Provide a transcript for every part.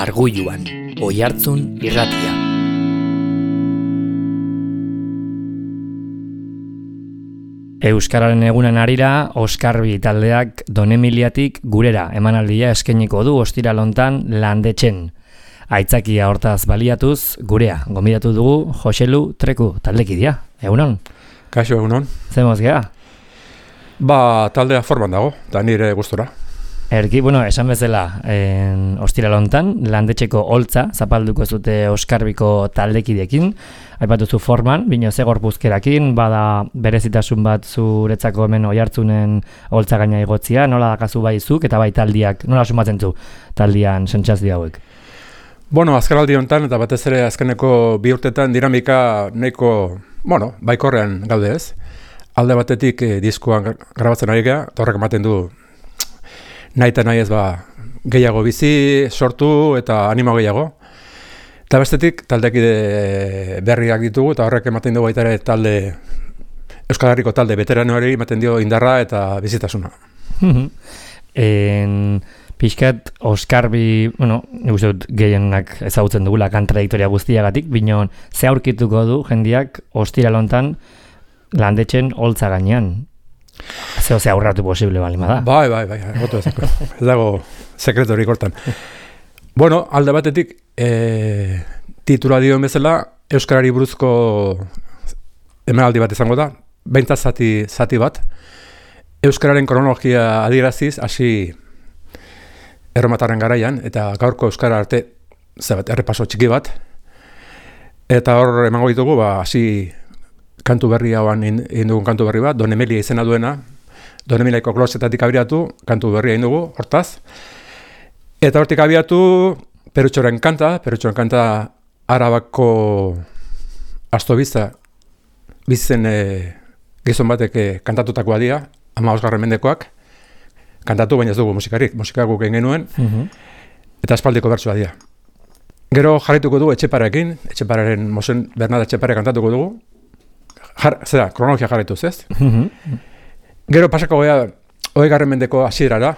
Arguluan, Oihartzun irratia. Euskararen egunen harira, Oskarbi taldeak Donemiliatik gurera emanaldia eskainiko du ostiral hontan Landetxen. Aitzakia hortaz baliatuz, gurea gonbidatu dugu Joselu Treku taldekidia. Egunon? Kaixo, egunon. Zemoz gea? Taldea forman dago, da nire gustora. Erki, esan bezala, ostiral hontan, Landetxeko holtza zapalduko zute Oskarbiko taldekidekin, aipatuzu forman, bino ze gorpuzkerakin, bada berezitasun bat zuretzako hemen Oihartzunen holtza gaina igotzia, nola dakazu bai zuk eta bai taldiak, nola sumatzen zu taldian sentsazio hauek? Azkenaldi honetan eta batez ere azkeneko 2 urtetan dinamika nahiko, baikorrean gaude ez. Alde batetik diskoan grabatzen ari gea, eta horrek ematen du nahi eta nahi ez gehiago bizi, sortu eta animo gehiago. Eta bestetik taldekide berriak ditugu eta horrek ematen du baita ere Euskal Herriko talde veteranoari ematen dio indarra eta bizitasuna. Pixkat Oskarbi, nik uste dut gehienak ezagutzen dugula kontradiktoria guztiagatik, binon ze aurkituko du jendiak ostiral hontan Landetxen holtza gainean. Ze aurratu posible bali bada. Bai, goto ezako. Ez dago sekreturik hortan. Alde batetik, titula dioen bezala, Euskarari buruzko emanaldi bat izango da, 20 zati bat, Euskararen kronologia adieraziz, hasi erromatarren garaian, eta gaurko Euskara arte, errepaso txiki bat, eta hor emango ditugu, hasi kantu berri hauan egin dugun kantu berri bat, Donemilia izena duena, Donemiliaiko klosetatik abiatu, kantu berria egin dugu, hortaz. Eta hortik abiatu, Perutxoren kanta Arabako Astobizta bizitzen gizon batek kantatutakoa dira, 15. mendekoak, kantatu baina ez dugu musika guk egin genuen, eta espaldiko bertsua dira. Gero jarrituko du Etxepararen Mosen Bernat Etxepare kantatuko dugu, kronologia jarrituz, ez? Gero pasako gea 20. mendeko hasierara,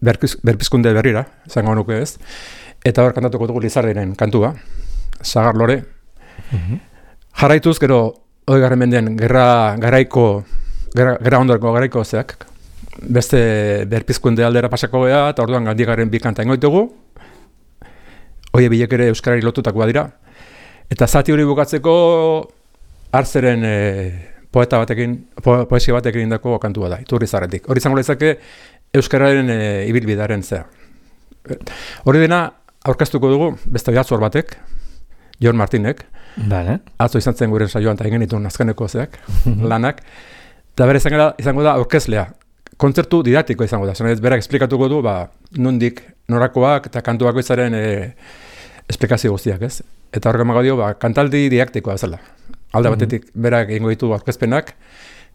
berpizkunde berrira, zango nuke ez, eta hor kantatuko dugu Lizardiren kantua, Sagar Lore. Jarraituz, gero 20. mendean gerra ondoreko garaiko zeak, beste berpizkunde aldera pasako gea, eta orduan Gandigaren 2 kanta ingo ditugu, hoie bilek ere Euskarari lotutakoa dira, eta zati hori bukatzeko Artzeren poesia batekin indako kantua da, Iturrizarretik. Hori izango lezake Euskararen ibilbidearen zea. Hori dena aurkeztuko dugu beste oihartzun batek, Jon Martinek. Atzo izan zen guren saioan eta egin dituen azkeneko zeak, lanak. Eta bere izango da aurkezlea. Kontzertu didaktiko izango da. Zanez, berak esplikatuko du, nondik norakoak eta kantuak izaren esplikazio guztiak, ez? Eta horrek emago dio, kantaldi didaktikoa bezala. Alde batetik, berak egingo ditu aurkezpenak,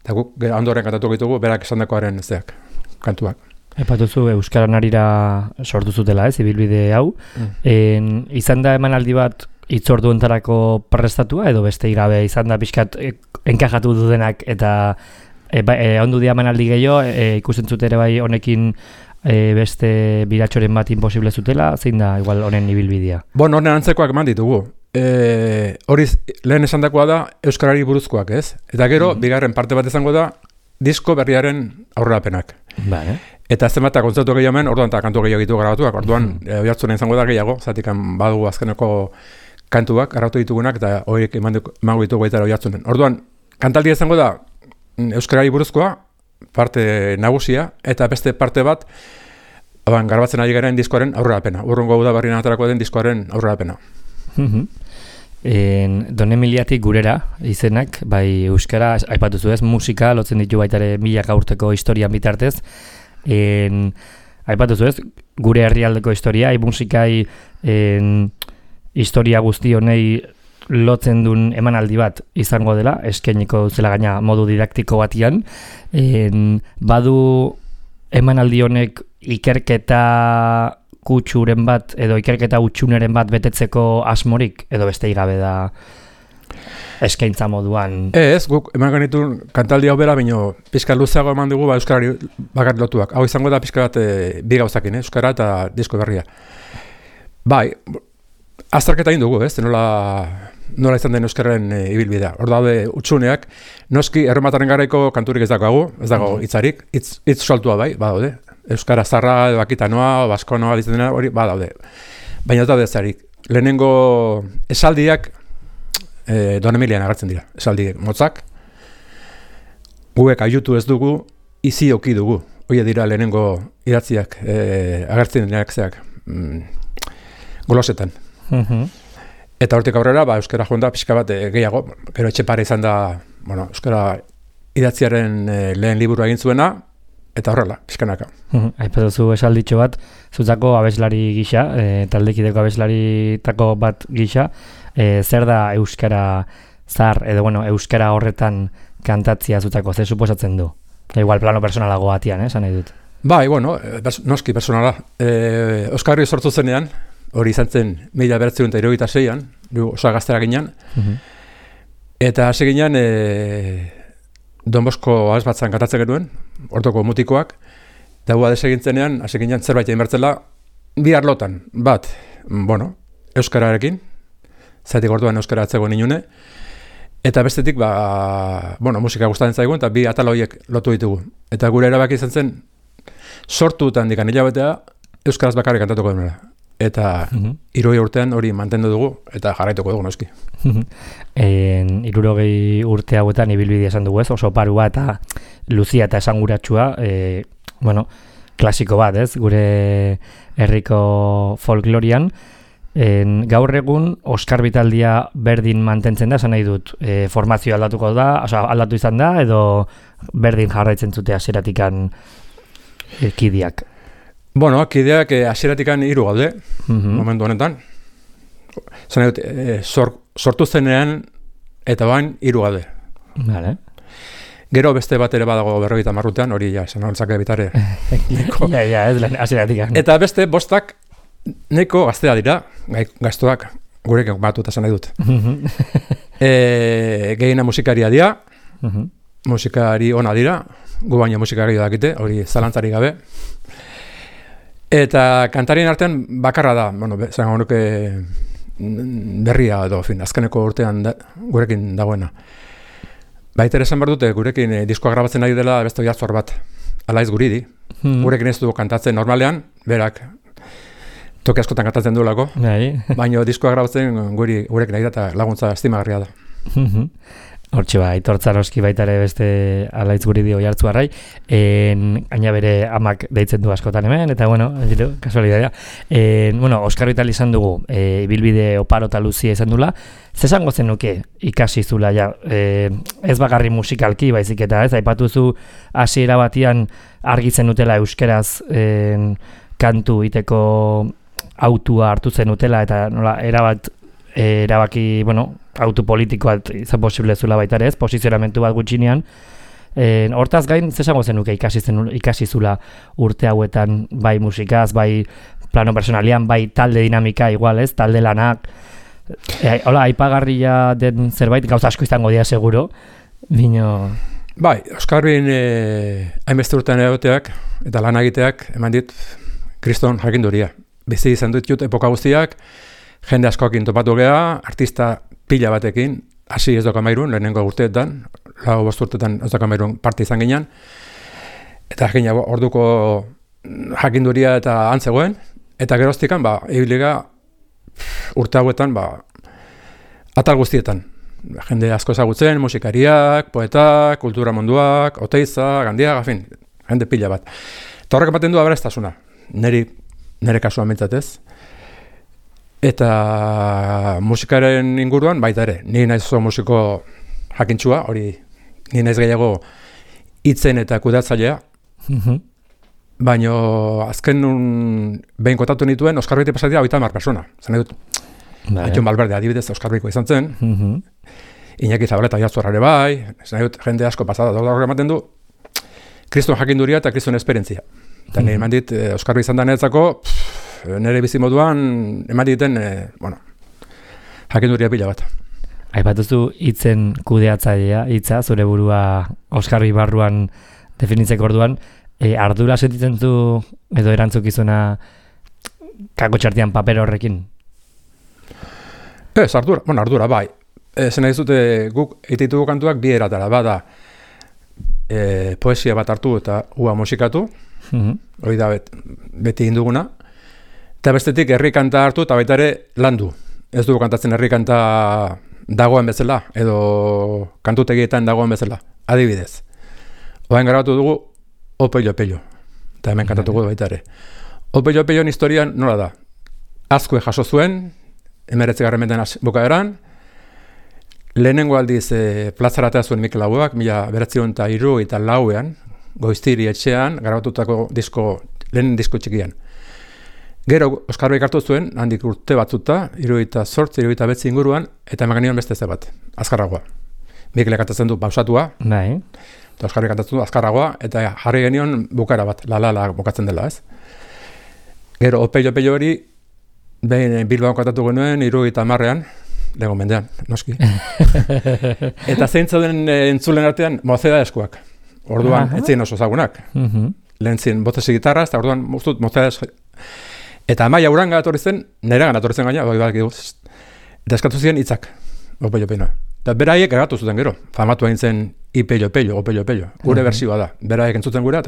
eta guk ondoren kantatuko ditugu, berak esandakoaren zeak, kantuak. Epatuzu Euskaran harira sortu zutela, ez, ibilbide hau. Izan da emanaldi bat hitzordu entarako prestatua, edo beste gabe izan da pixkat enkajatu dudenak, eta ondu dia emanaldi gehiago, ikusten zute ere bai honekin beste biratxoren bat imposible zutela, zein da igual honen ibilbidea? Honen antzekoak eman ditugu. Hori lehen esandakoa da Euskarari buruzkoak, ez? Eta gero, bigarren parte bat izango da disko berriaren aurrerapenak. Eta zenbat kontzertu gehiago hemen, orduan eta kantu gehiago ditu grabatuak, orduan Oihartzunen izango da gehiago, zatik badugu azkeneko kantuak, grabatu ditugunak, eta horiek emango ditugu baita Oihartzunen. Orduan, kantaldia izango da Euskarari buruzkoa, parte nagusia, eta beste parte bat, grabatzen ari garen diskoaren aurrerapena. Urrungo udaberrian aterako den diskoaren aurrerapena. Donemiliatik gurera izenak, bai euskara, aipatuzu ez, musika, lotzen ditu baitare 1000 urteko historian bitartez. Aipatuzu ez, gure herrialdeko historia, musikai historia guzti honei lotzen duen emanaldi bat izango dela, eskainiko zela gaina modu didaktiko batian. Badu emanaldi honek ikerketa kutsuren bat, edo ikerketa utxuneren bat betetzeko asmorik, edo beste gabe da eskaintza moduan. Ez, guk eman genituen kantaldi hau bera, baino pixka luzeago eman dugu euskarari bakar lotuak. Hau izango da pixka bat bi gauzakin, euskara eta disko berria. Bai, azterketa egin dugu, ez? Nola izan den euskarren ibilbidea. Hor daude utsuneak, noski erremataren garaiko kanturik ez dago hitzarik, hitz soltua bai, badaude. Euskara zarra, edo akitanoa, baskonoa, ditzen hori, badaude. Baina ez daude ezarik. Lehenengo esaldiak Don Emilian agertzen dira, esaldi motzak. Guek aiutu ez dugu, izi oki dugu. Hoi dira lehenengo idatziak agertzen direnak zeak golosetan. Eta hortik aurrera, euskara joan da pixka bat gehiago, gero Etxepare izan da, euskara idatziaren lehen liburua egin zuena, eta horrela, pixkanaka. Aipatuzu esalditxo bat, zutako abeslari gisa, taldekideko abeslaritako bat gisa, zer da euskara zahar, edo euskara horretan kantatzia zutako, ze suposatzen du? Igual plano personalago batian, esan nahi dut. Bai, noski personala. Euskarri sortu zenean, hori izan zen 1976an, osa gaztera ginen, eta hasi ginen Don Bosco abes batzan kantatzen genuen, ortoko mutikoak, eta gu adesegin zenean, hasi ginen zerbait egin bertzela, bi arlotan, bat, euskararekin, zaitik orduan euskara atzegoen inune, eta bestetik, musika gustatzen zaigun, eta bi atal horiek lotu ditugu. Eta gure erabaki izan zen, sortutan dikan hilabetea, euskaraz bakarrik kantatuko denera. Eta 60 urtean hori mantendu dugu, eta jarraituko dugu noski. 60 urte hauetan ibilbidea esan dugu ez, oso parua eta luzia eta esanguratsua, klasiko bat ez, gure herriko folklorian. Gaur egun Oskar Bitaldia berdin mantentzen da, esan nahi dut, formazio aldatuko da, aldatu izan da, edo berdin jarraitzen zute hasieratikan kideak. Kideak hasieratikan 3 gaude, momentu honetan. Esan nahi dut, sortu zenean eta bain 3 gaude. Vale. Gero beste bat ere badago 50 urtean, hori esan hortzake bitare. Ez hasieratikan. Eta beste 5 neko gaztea dira, gaztuak, gurekin batuta esan nahi dut. Gehiena musikaria dira, musikari ona dira, gu baina musikari dakite, hori zalantzari gabe. Eta kantarien artean bakarra da, zango nuke berria edo, azkeneko urtean gurekin dagoena. Baita esan behar dute, gurekin diskoa grabatzen ari dela beste Oiartzun bat, Alaiz Guridi. Gurekin ez du kantatzen normalean, berak toki askotan kantatzen duelako, baina diskoa grabatzen gurekin ari da eta laguntza estimagarria da. Hortxe aitortza noski baita ere beste Alaiz Guridi Oiartzunarrai, gaina bere amak deitzen du askotan hemen, eta kasualitatea. Oskar Bitali izan dugu, ibilbide oparo eta luzia izan dula, zesango zenuke ikasi zula, ez bakarri musikalki baizik eta ez, aipatuzu hasiera batian argitzen utela euskeraz kantu iteko autua hartu zen utela, eta erabaki, autu politikoa izan posible zula baita ere ez, posizionamentu bat gutxinean. Hortaz gain, zesango zenuke ikasi zula urte hauetan, bai musikaz, bai plano personalian, bai talde dinamika igual ez, talde lanak. Hola, aipagarria den zerbait, gauza asko izango dira seguro, bino... Bai, Oskarbin hainbeste urtean egoteak eta lan egiteak eman dit kriston jakinduria. Bizi izan dut epoka guztiak, jende askoekin topatu geha, artista pila batekin, hasi ez doka mairun, lehenengo urteetan, 4 urteetan ez doka mairun parte izan ginen, eta orduko jakinduria eta antzegoen, eta geroztikan, ibiliga urte hauetan, atal guztietan. Jende asko ezagutzen, musikariak, poetak, kultura munduak, Oteiza, Gandia, jende pila bat. Eta horrek ematen du aberastasuna, nire kasuan mintzatez. Eta musikaren inguruan baita ere, ni naiz oso musiko jakintxua, hori ni naiz gehiago hitzen eta kudeatzailea. Baina azken behin kontatu nituen, Oskar Beti pasatia 30 persona. Zan edut, Aiton Balberde adibidez Oskar Betiko izan zen, Iñaki Zabaleta Oiartzun ere bai, zan edut, jende asko pasada, horrek ematen du, kriston jakinduria eta kriston esperientzia. Eta nire eman dit, Oskar Beti izan da niretzako, nire bizimoduan eman diten, jakinduria pila bat. Aipatuzu hitzen kudeatzailea, hitza, zure burua Oskarbi barruan definitzeko orduan, ardura sentitzen du edo erantzukizuna kako txartian paper horrekin? Ez, ardura, bai. Zena dizute guk eititugu kantuak bi eratara, bada poesia bat hartu eta ua musikatu, hori da beti induguna, eta bestetik herri kanta hartu eta baita ere landu. Ez dugu kantatzen herri kanta dagoen bezala, edo kantutegietan dagoen bezala, adibidez. Oain grabatu dugu Opello, eta hemen kantatuko baita ere. Opelloen historian nola da? Azkue jaso zuen, 19. mendean bukaeran, lehenengo aldiz plazaratea zuen Mikel Laboak, 1974 Goiztiri etxean, grabatutako lehen disko txikian. Gero Oskarbi hartu zuen, handik urte batzuta, 78, 79 inguruan, eta eman genion beste bat, azkarragoa. Mikelek kantatzen du pausatua, eta Oskarbi kantatzen du azkarragoa, eta jarri genion bukara bat, la bukatzen dela, ez? Gero Opello hori, behin Bilbao kantatu genuen, 70ean, lego mendean, noski. Eta zeintzauden entzulen artean, Mozeda eskuak. Orduan, etzien oso zagunak. Lehen zien botesi gitarra, eta orduan, ustut, Mozeda eskuak. Eta Amaia Uranga atorri zen, nera gana atorri zen gaina, eta eskatu ziren hitzak, Opello. Eta beraiek grabatu zuten gero, famatu egin zen Opello. Gure bersioa da, beraiek entzuten gure,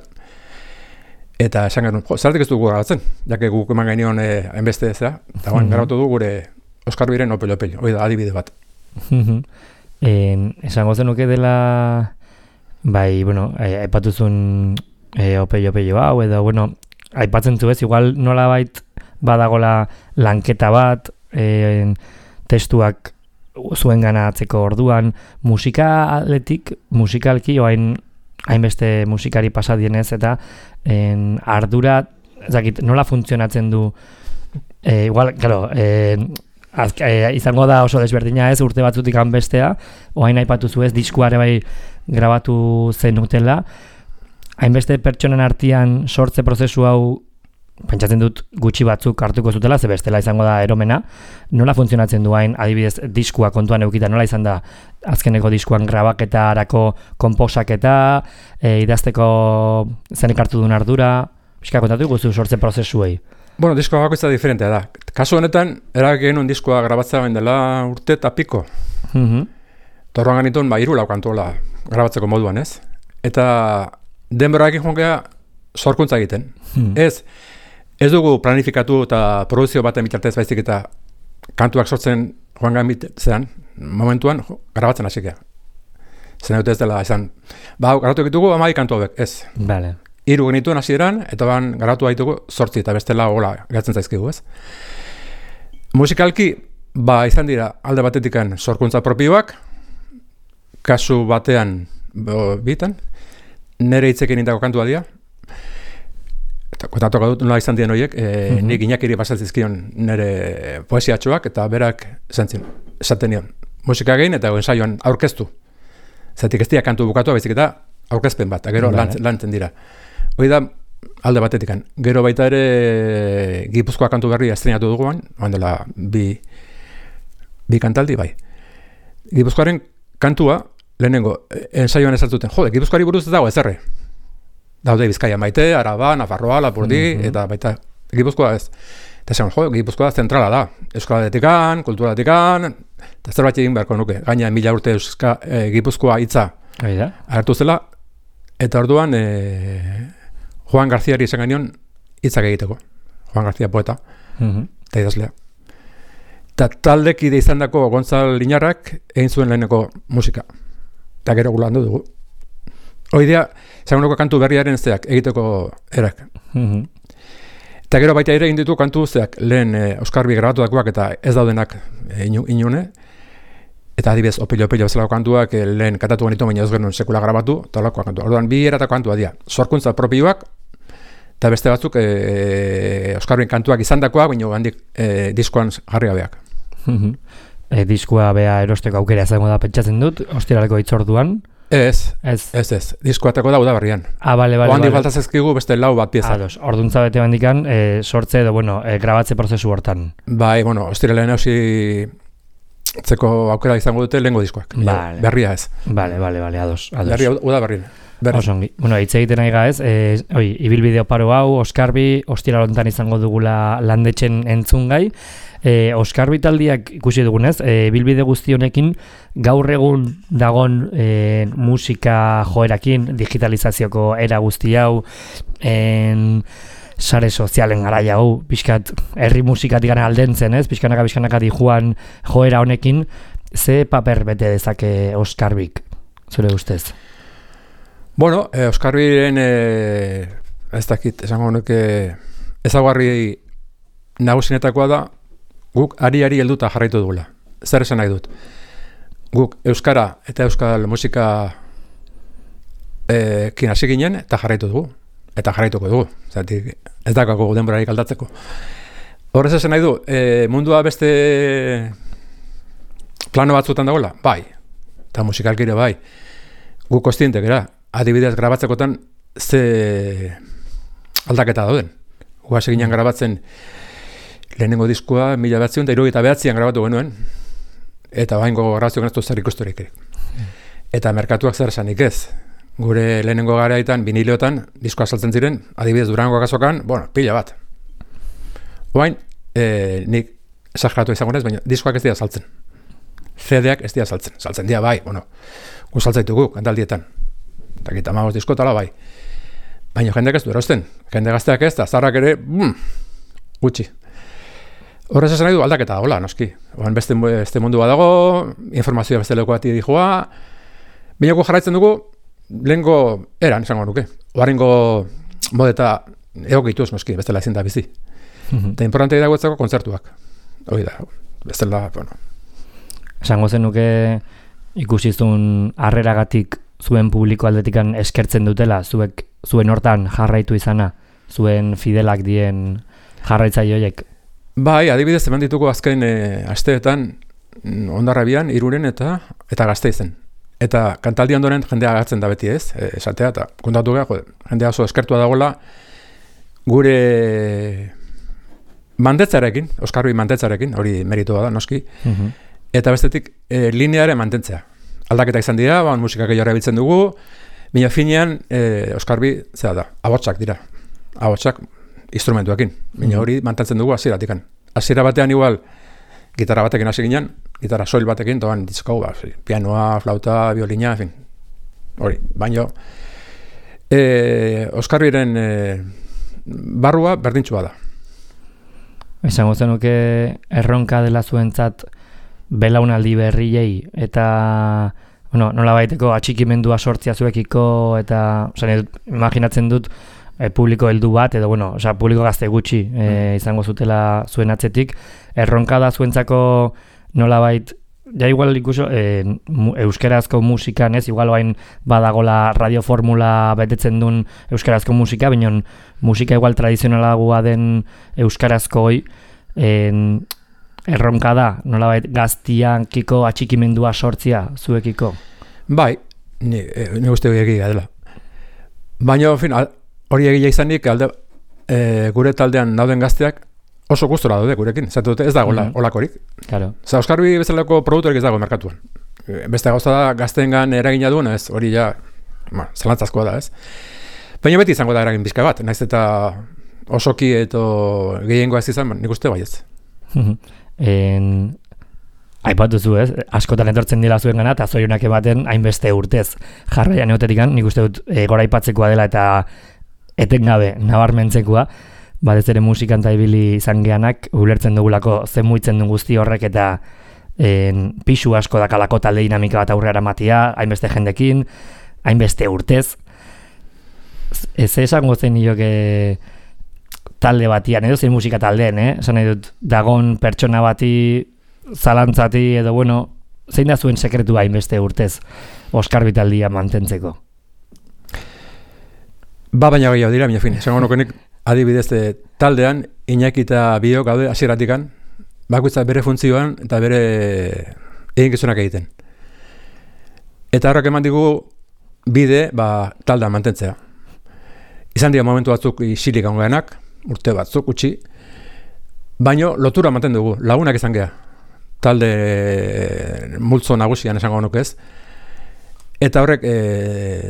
eta esan genuen, zerratik ez dugu grabatzen, jake guk eman genion hainbeste zera, eta grabatu du gure Oskarbiren Opello, hori da, adibide bat. Esango zenuke dela, bai, bueno, aipatuzun Opello hau, edo, bueno, aipatzen zu ez, igual nolabait badagola lanketa bat, testuak zuen ganatzeko orduan, musikalki oain hainbeste musikari pasadienez, eta ardura, ezakit, nola funtzionatzen du, igual, claro, izango da oso desberdina ez, urte batzutik bestea, oain aipatuzu ez, diskuare bai grabatu zenutela, hainbeste pertsonen artean sortze prozesu hau, pentsatzen dut gutxi batzuk hartuko zutela, ze bestela izango da eromena, nola funtzionatzen du hain, adibidez, diskua kontuan eukita, nola izan da azkeneko diskuan grabaketarako konposaketa, idazteko zenek hartu duen ardura, pixka kontatu guzu sortze prozesuei? Bueno, diskoa bakoitza diferentea da. Kasu honetan, erabaki genuen diskoa grabatzea bain dela urte eta piko. Torroan ganituen, 3 lau kantuola grabatzeko moduan, ez? Eta denborarekin joan geha sorkuntza egiten. Ez dugu planifikatu eta produzio baten bitartez baizik eta kantuak sortzen joan gamitzean, momentuan grabatzen hasik geha. Zena dut ez dela esan, garatu egitugu 12 kantu hauek, ez. Vale. 3 genituen hasieran, eta garatu haitugu 8 eta bestela hola gatzen zaizkigu, ez. Musikalki, izan dira alde batetikan sorkuntza propioak, kasu batean, bitan, nire hitzekin indako kantua dira, eta kontatuko dut nola izan diren horiek, nik Iñakiri pasatzizkion nire poesiatxoak, eta berak esaten nion, musika egin eta ensaioan aurkeztu. Zatik ez dira kantu bukatua, baizik eta aurkezpen bat, gero lantzen dira. Hoi da, alde batetikan. Gero baita ere Gipuzkoa kantu berria estrenatu duguan, dela bi kantaldi, bai. Gipuzkoaren kantua, lehenengo, ensaioan ezartuten, Gipuzkoari buruz ez dago ezerre. Daude Bizkaia maite, Araba, Nafarroa, Lapurdi, eta baita Gipuzkoa ez. Eta esan, Gipuzkoa zentrala da. Euskaraletikan, kulturaletikan, eta zerbait egin beharko nuke. Gaina 1000 urte Gipuzkoa hitza agertu zela, eta orduan Juan Garziari esan genion hitzak egiteko. Juan Garzia poeta, eta idazlea. Eta taldekide izan dako Gontzal Liñarrak egin zuen leheneko musika. Eta gero gulandu dugu. Hoidea, zagunoko kantu berriaren zeak egiteko erak. Eta gero baita ere egin ditu kantu zeak lehen Oskarbi grabatuakoak eta ez daudenak inune. Eta adibidez, Opello bezalako kantuak lehen kantatu genitu, baina ez genuen sekula grabatu, eta olakoak kantua. Orduan, bi eratako kantua dira. Sorkuntza propioak, eta beste batzuk Oskarbin kantuak izandakoak, baina handik diskoan jarri gabeak. Diskoa bea erosteko aukera izango da pentsatzen dut, ostiraleko hitzorduan. Ez. Diskoateko da udaberrian. Bale. Handik faltaz ezkigu beste 4 bat pieza. Orduntza bete bandikan, sortze edo, grabatze prozesu hortan. Bai, ostiralean hausi Zeko aukera izango dute lehengo diskoak. Vale. Berria ez. Vale, ados. Berria, uda berri. Osongi. Bueno, hitz egiten nahi ez, ibilbide oparo hau, Oskarbi, ostira lontan izango dugula landetxen entzungai. Oskarbi taldiak ikusi dugunez, ibilbide guzti honekin, gaur egun dagon musika joerakin, digitalizazioko era guzti hau, sare sozialen garaia hau, pixkat herri musikatik gana aldentzen, ez? Pixkanaka dijuan joera honekin, ze paper bete dezake Oskarbik, zure ustez? Bueno, Oskarbiren ez dakit, esango honek ezaguarri nagusinetakoa da, guk ari helduta jarraitu dugula. Zer esan nahi dut? Guk euskara eta euskal musika kin hasi ginen eta jarraitu dugu. Eta jarraituko dugu. Zatik, ez dakako denborarik aldatzeko. Horrez esan nahi du, mundua beste plano batzutan dagoela? Bai. Eta musikalkire bai. Guk kostientek era. Adibidez grabatzekotan ze aldaketa dauden. Gu hasi ginen grabatzen lehenengo diskua 1979an grabatu genuen. Eta baingo grabazioak ez du zer ikusturik. Eta merkatuak zer esanik ez. Gure lehenengo garaitan, vinileotan, diskoa saltzen ziren, adibidez Durango kasokan, pila bat. Oain, nik esageratu izango nez, baina diskoak ez dira saltzen. CD-ak ez dira saltzen. Saltzen dira bai, gu saltzaitugu, kantaldietan. Eta gita magos diskotala bai. Baina jendeak ez du erosten. Jende gazteak ez, eta zarrak ere, gutxi. Horrez esan nahi du aldaketa dagoela, noski. Oain beste mundu bat dago, informazioa beste leko bati dijoa, baina gu jarraitzen dugu, lehenko eran, esango nuke. Oarengo modeta egokituz, noski, bestela ezin da bizi. Eta importantea dagoetzako kontzertuak. Hoi da, bestela, Esango zenuke ikusizun harreragatik zuen publiko aldetikan eskertzen dutela, zuen hortan jarraitu izana, zuen fidelak dien jarraitzaile Bai, adibidez eman ditugu azken asteetan Hondarrabian, Irunen eta Gasteizen. Eta kantaldi ondoren jendea agertzen da beti ez, esatea, eta kontatu gara, jendea oso eskertua dagoela gure mandetzarekin, Oskarbi mandetzarekin, hori meritoa da, noski, eta bestetik lineare mantentzea. Aldaketa izan dira, musikak gehiago erabiltzen dugu, baina finean Oskarbi, zera da, ahotsak dira, ahotsak instrumentuekin, baina hori mantentzen dugu hasieratikan. Hasiera batean igual, gitarra batekin hasi ginen, gitarra soil batekin, toan ditzkau, pianoa, flauta, violina, en fin, hori, baina Oskarbiren barrua berdintxua da. Esango zenuke erronka dela zuentzat belaunaldi berriei eta nola baiteko atxikimendua sortzia zuekiko eta imaginatzen dut publiko heldu bat edo publiko gazte gutxi izango zutela zuen atzetik. Erronka da zuentzako nolabait ja igual ikuso euskarazko musikan ez igual bain badagola radioformula betetzen duen euskarazko musika, baina musika igual tradizionalagoa den euskarazkoi erronka da nolabait gaztiankiko atxikimendua sortzia zuekiko. Bai, ni uste egia dela. Baina hori egia izanik gure taldean dauden gazteak oso gustora daude gurekin, zatu dute ez dago olakorik. Claro. Oskarbi bezalako produktorik ez dago merkatuan. Beste gauza da gazteengan eragina duen, ez hori ja zalantzazkoa da, ez. Baina beti izango da eragin bizka bat, naiz eta osoki eto gehiengoa ez izan, nik uste baietz. Aipatu zu ez, askotan etortzen dira zuen gana, eta zorionak ematen hainbeste urtez. Jarraian egoterikan, nik uste dut gora aipatzekoa dela eta etengabe nabarmentzekoa, batez ere musikan eta ibili izan geanak, ulertzen dugulako zemuitzen du guzti horrek eta pisu asko dakalako talde dinamika bat aurrera matia, hainbeste jendekin, hainbeste urtez. Ez esango zen nioke talde batian, edo zein musika taldeen, esan nahi dut, dagon pertsona bati, zalantzati, edo zein da zuen sekretu hainbeste urtez Oskarbi taldia mantentzeko? Baina gehiago dira, mina fin, esango nukenik adibidez taldean, Iñaki eta Biok gaude hasieratikan, bakoitza bere funtzioan eta bere eginkizunak egiten. Eta horrek eman digu bide taldean mantentzea. Izan dira momentu batzuk isilik ongeanak, urte batzuk utzi, baino lotura manten dugu, lagunak izan geha. talde multzo nagusian esango nuke ez. Eta horrek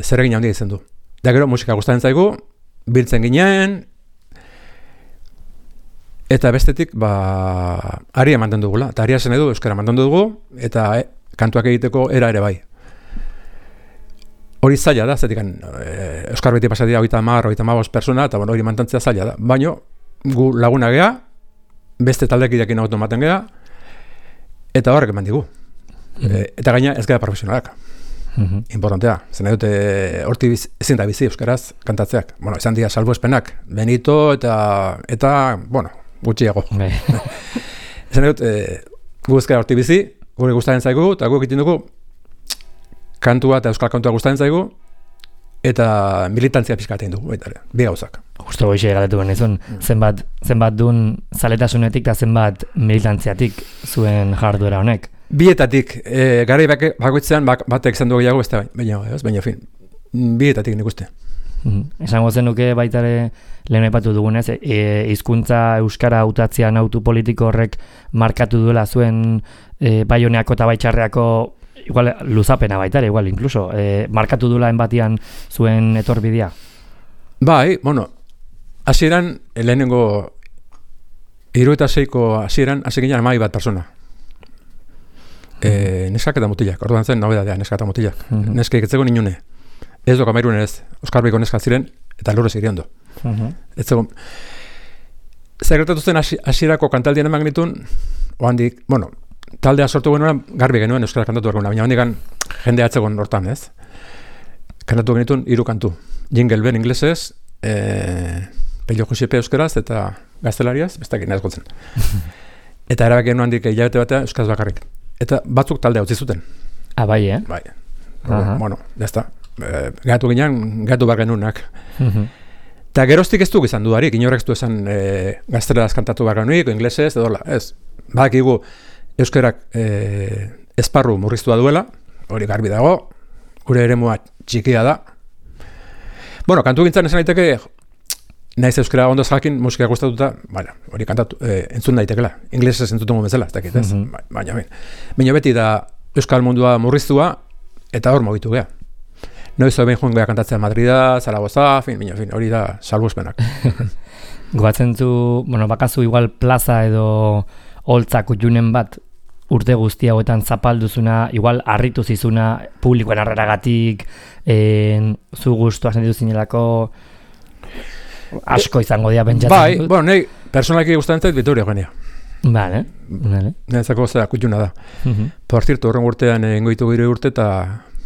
zeregin handia izan du. Da gero musika gustatzen zaigu, biltzen ginen, eta bestetik, aria mantendu dugula. Eta aria zen edu, euskara mantendu dugu, eta kantuak egiteko era ere bai. Hori zaila da, zetik euskar beti pasatia 30-35 persona, eta hori mantentzea zaila da. Baina, gu laguna gea, beste taldekidekin automaten gea, eta horrek eman digu. Eta gaina ez gara profesionalak. Importantea. Zen dute horti ezin da bizi euskaraz kantatzeak. Bueno, izan dira salbuespenak. Benito eta bueno, gutxiago. Zen dut, gu ezkara horti bizi, gure gustatzen zaigu, eta gu egiten dugu kantua eta euskal kantua gustatzen zaigu, eta militantzia pixkatein dugu, bi gauzak. Justo goixe galdetu benizun, zenbat duen zaletasunetik eta zenbat militantziatik zuen jarduera honek? Bietatik, garai bakoitzean batek izan dugu gehiago, baina fin, bietatik nik uste. Esango zenuke baitare lehen aipatu dugunez, hizkuntza euskara hautatzean autu politiko horrek markatu duela zuen Baioneako eta Baitxarreako igual luzapena baitare, igual incluso, markatu duela enbatian zuen etorbidea? Bai, bueno, hasieran lehenengo 76ko hasieran hasi ginen 11 persona. Neskak eta mutilak, orduan zen nobedadea, neskak eta mutilak. Neskak etzeko ninune. Ez doka mairun ez, Oskar Biko neskak ziren, eta lurrez iriondo. Etzeko, zerretatu zen hasierako kantaldien emagnitun, oandik, bueno, taldea sortu genuen, garbi genuen euskara kantatu genuen, baina handikan jendea atzegon hortan, ez? Kantatu genitun 3 kantu. Jingle Bell inglesez, Pello Josepe euskaraz eta gaztelariaz, bestak inaz gotzen. Eta erabak genuen handik hilabete batea euskaraz bakarrik. Eta batzuk taldea utzi zuten. Bai, Bai. Bueno, jazta. Gatu ginen, gatu bar genunak. Eta geroztik ez duk izan dudarik, inorek ez du esan gazteleraz kantatu bar genuik, inglesez, edola, ez. Badakigu euskarak esparru murriztua duela, hori garbi dago, gure eremua txikia da. Bueno, kantu gintzan esan daiteke, naiz euskara ondo jakin musika gustatuta, baina, hori kantatu, entzun daitekela. Inglesez entzuten bezala, ez dakit, ez? Baina beti da euskal mundua murriztua, eta hor mugitu gea. Noiz hori joan gea kantatzea Madrida, Zaragoza, hori da salbuespenak. Goatzen zu, bueno, bakazu igual plaza edo holtzak utjunen bat, urte guzti hauetan zapalduzuna, igual harritu zizuna publikoen harreragatik, zu gustua sentitu zinelako, asko izango dira pentsatzen bai, dut. Bueno, nahi, personalki gustatzen zait Vitoria Eugenia. Vale. Nezako zera kutxuna da. Por cierto, horren urtean engoitu gire urte eta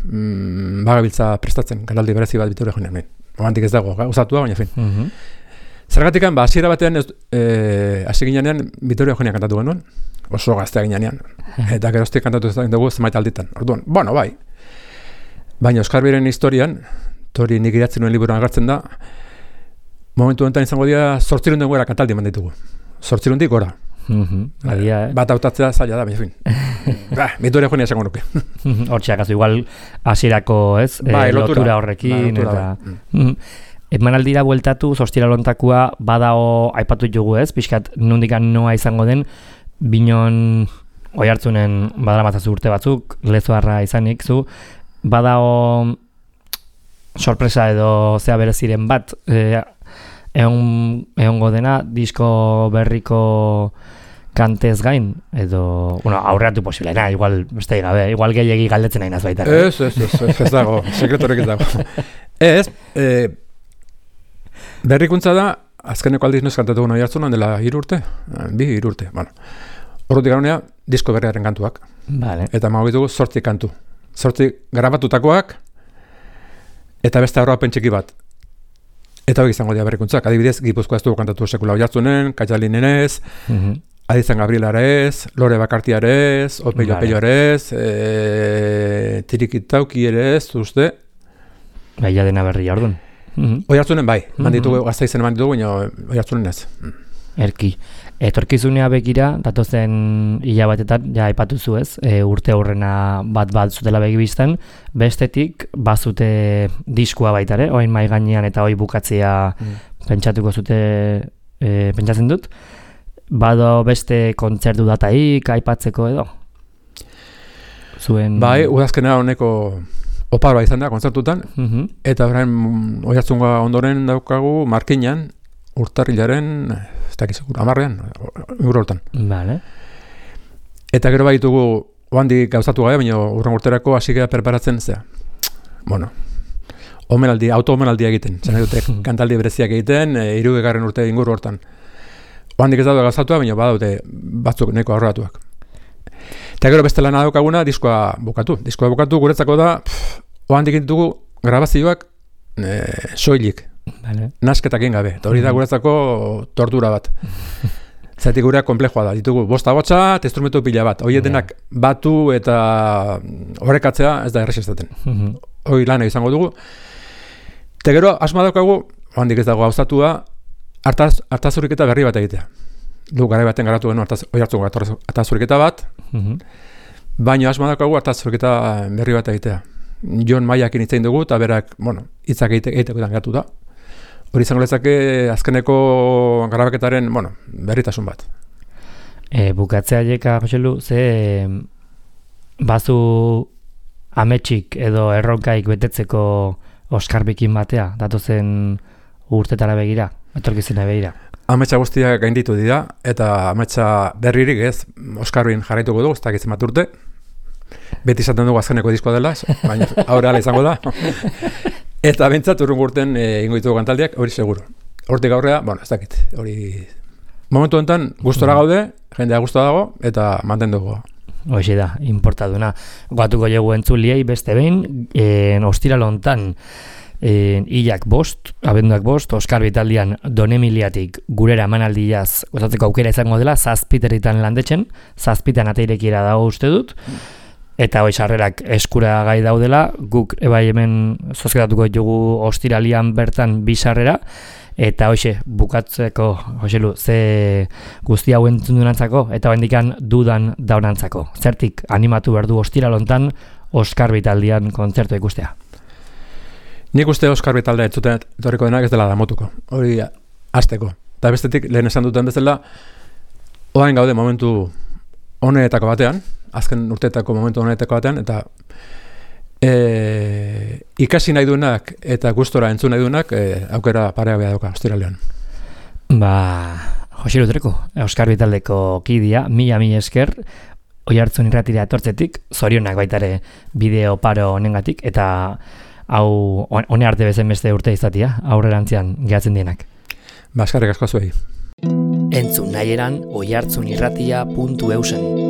bagabiltza prestatzen, kanaldi berezi bat Vitoria Eugenia. Momentik ez dago, usatua, baina fin. Zergatikan, hasiera batean, hasi ginean Vitoria Eugenia kantatu genuen, oso gaztea ginean, eta geroztik kantatu ez dugu zenbait alditan. Orduan, bueno, bai. Baina Oskar Biren historian, hori nik idatzen nuen liburuan agertzen da, momentu honetan izango dira 800 gora kantaldi eman ditugu. 800 gora. Bat hautatzea zaila da, baina fin. Vitoria Eugenia esango nuke. Hortxeak, igual hasierako, ez? Lotura horrekin. Emanaldira bueltatu, Ostira lontakua badao aipatu jugu, ez? Pixkat nundikan noa izango den, Binon Oiartzunen badaramatzazu urte batzuk, Lezoarra izanik zu, badao sorpresa edo zea bereziren bat, egongo dena, disko berriko kantez gain, edo, bueno, aurreatu posiblena, igual, beste gabe, igual gehiagi galdetzen nahi naz baita. Ez dago, sekretorek ez dago. Ez, berrikuntza da, azkeneko aldiz noiz kantatu guna jartzunan dela 3 urte, 2 urte, bueno. Horretik gaunea, disko berriaren kantuak. Vale. Eta magogitugu 8 kantu. 8 grabatutakoak, eta beste aurrapen txiki bat. Eta hori izango dira berrikuntzak. Adibidez, Gipuzkoa ez dugu kantatu sekula jartzunen, Katxalinen ez, Adizan Gabriela ez, Lore Bakartia ez, Opello ez, Tirikitauki ere ez, uste. Baina dena berria orduan. Oiartzunen bai, manditugu, Gaztaizen manditugu, baina Oiartzunen ez. Erki. Etorkizunea begira, datozen hilabatetan, ja aipatu zu ez, urte aurrena bat zutela begibizten, bestetik bazute diskua baitare, oain mai gainean eta hoi bukatzea pentsatuko zute, pentsatzen dut. bado beste kontzertu dataik aipatzeko edo? Zuen... Bai, udazkenera honeko oparoa izan da kontzertutan, eta orain Oiartzunga ondoren daukagu Markinan, urtarrilaren, ez dakiz, 10ean, hortan. Vale. Eta gero baitugu, oandik gauzatu gabe, baina urren urterako hasi gara preparatzen, bueno, auto-omenaldia egiten, zen dute kantaldi bereziak egiten, 60. urte inguru hortan. Oandik ez daude gauzatua, baina badaude batzuk neko aurratuak. Eta gero beste lana daukaguna, diskoa bukatu. Diskoa bukatu guretzako da, oandik ditugu grabazioak soilik, nasketak egin gabe. Eta hori da guretzako tortura bat. Zaitik gureak komplexua da. Ditugu 5 agotxa eta instrumentu pila bat. Hori denak batu eta horrekatzea ez da erresistaten. Hori lana izango dugu. Eta gero, asma daukagu, handik ez dago gauzatua, hartazuriketa berri bat egitea. Du, garai baten garatu genuen Oiartzungo hartazuriketa bat, baina asma daukagu hartazuriketa berri bat egitea. Jon Maiakin hitzein dugu, eta berak, hitzak egiteko gatu da. Hori izango lezake azkeneko grabaketaren, berritasun bat. Bukatzea jeka, Joselu, ze bazu ametsik edo erronkaik betetzeko Oskar bikin batea, datozen urtetara begira, etorkizena begira. Ametsa guztiak gainditu dira, eta ametsa berririk ez, Oskarbin jarraituko dugu, ez dakitzen bat urte. Beti izaten dugu azkeneko diskoa dela, baina aurre ala izango da. Eta bentsat urrungo urten ingo ditugu kantaldiak, hori seguro. Hortik aurrea, ez dakit, hori... Momentu enten gustora gaude, jendea gustora dago, eta mantendu dugu. Hoxe da, importaduna. Goatuko jogu entzuliei beste behin, ostiral hontan, hilak 5, abenduak 5, Oskar Bitaldian Donemiliatik gurera emanaldiaz gozatzeko aukera izango dela, 7 landetzen, 7 ateirekiera dago uste dut, eta hoi sarrerak eskura gai daudela, guk ebai hemen zozketatuko dugu ostiralian bertan 2 sarrera, eta hoxe, bukatzeko, Joselu, ze guzti hau entzun durantzako, eta hendikan dudan daunantzako. Zertik animatu behar du ostiral hontan Oskar Bitaldian kontzertu ikustea? Nik uste Oskar Bitaldea entzuten etorriko denak ez dela damutuko, hori hasteko. Eta bestetik, lehen esan duten bezala, orain gaude momentu honetako batean, azken urteetako momentu honetako batean, eta ikasi nahi duenak eta gustora entzun nahi duenak aukera parea beha dauka ostiralean. Joselu Treko, Oskar Bitaldeko kidia, mila esker, Oiartzun irratira etortzetik, zorionak baitare bideo paro honengatik, eta hau hone arte bezen beste urte izatia, aurrerantzian gehatzen dienak. Eskerrik asko zuei. Entzun nahieran oiartzunirratia.eusen